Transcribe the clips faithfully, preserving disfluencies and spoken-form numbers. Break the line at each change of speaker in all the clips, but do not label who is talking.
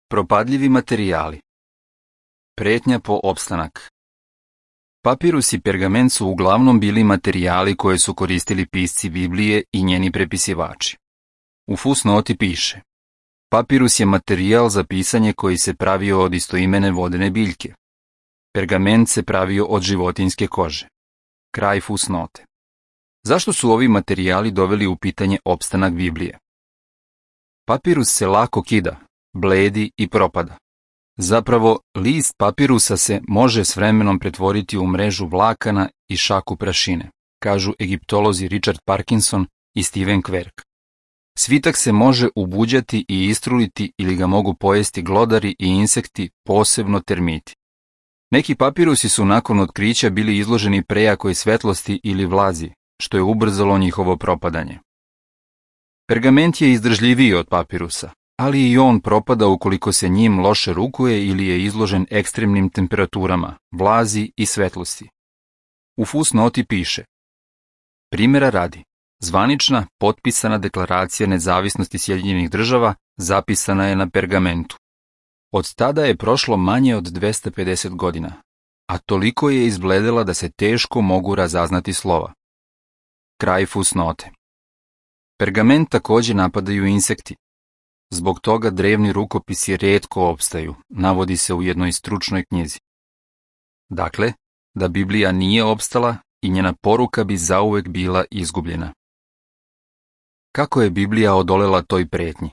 Propadljivi materijali. Pretnja po opstanak. Papirus i pergament su uglavnom bili materijali koje su koristili pisci Biblije i njeni prepisivači. U fusnoti piše: papirus je materijal za pisanje koji se pravio od istoimene vodene biljke. Pergament se pravio od životinjske kože. Kraj fusnote. Zašto su ovi materijali doveli u pitanje opstanak Biblije? Papirus se lako kida, bledi i propada. Zapravo, list papirusa se može s vremenom pretvoriti u mrežu vlakana i šaku prašine, kažu egiptolozi Richard Parkinson i Steven Quirk. Svitak se može ubuđati i istruliti ili ga mogu pojesti glodari i insekti, posebno termiti. Neki papirusi su nakon otkrića bili izloženi prejakoj svetlosti ili vlazi, što je ubrzalo njihovo propadanje. Pergament je izdržljiviji od papirusa, ali i on propada ukoliko se njim loše rukuje ili je izložen ekstremnim temperaturama, vlazi i svetlosti. U fusnoti piše: primjera radi, zvanična, potpisana deklaracija nezavisnosti Sjedinjenih država zapisana je na pergamentu. Od tada je prošlo manje od dvesta pedeset godina, a toliko je izbledela da se teško mogu razaznati slova. Kraj fusnote. Pergament također napadaju insekti. Zbog toga drevni rukopisi rijetko opstaju, navodi se u jednoj stručnoj knjizi. Dakle, da Biblija nije opstala i njena poruka bi zauvek bila izgubljena. Kako je Biblija odolela toj pretnji?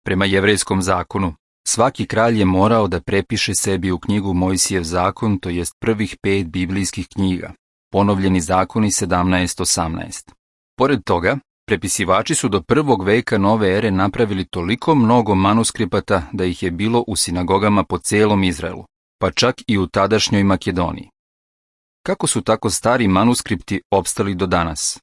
Prema jevrejskom zakonu, svaki kralj je morao da prepiše sebi u knjigu Mojsijev zakon, to jest prvih pet biblijskih knjiga, ponovljeni zakoni sedamnaest osamnaest. Pored toga, prepisivači su do prvog veka nove ere napravili toliko mnogo manuskripata da ih je bilo u sinagogama po celom Izraelu, pa čak i u tadašnjoj Makedoniji. Kako su tako stari manuskripti opstali do danas?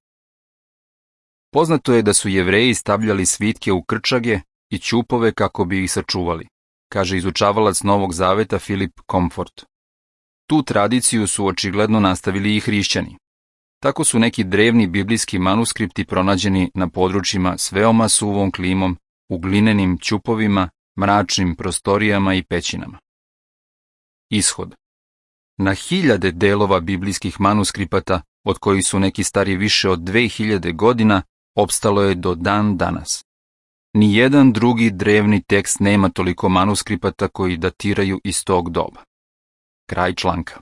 Poznato je da su Jevreji stavljali svitke u krčage i ćupove kako bi ih sačuvali, kaže izučavalac Novog zaveta Philip Comfort. Tu tradiciju su očigledno nastavili i hrišćani. Tako su neki drevni biblijski manuskripti pronađeni na područjima s veoma suvom klimom, u glinenim ćupovima, mračnim prostorijama i pećinama. Ishod. Na hiljade delova biblijskih manuskripata, od kojih su neki stari više od dve hiljade godina, opstalo je do dan danas. Nijedan drugi drevni tekst nema toliko manuskripata koji datiraju iz tog doba. Kraj članka.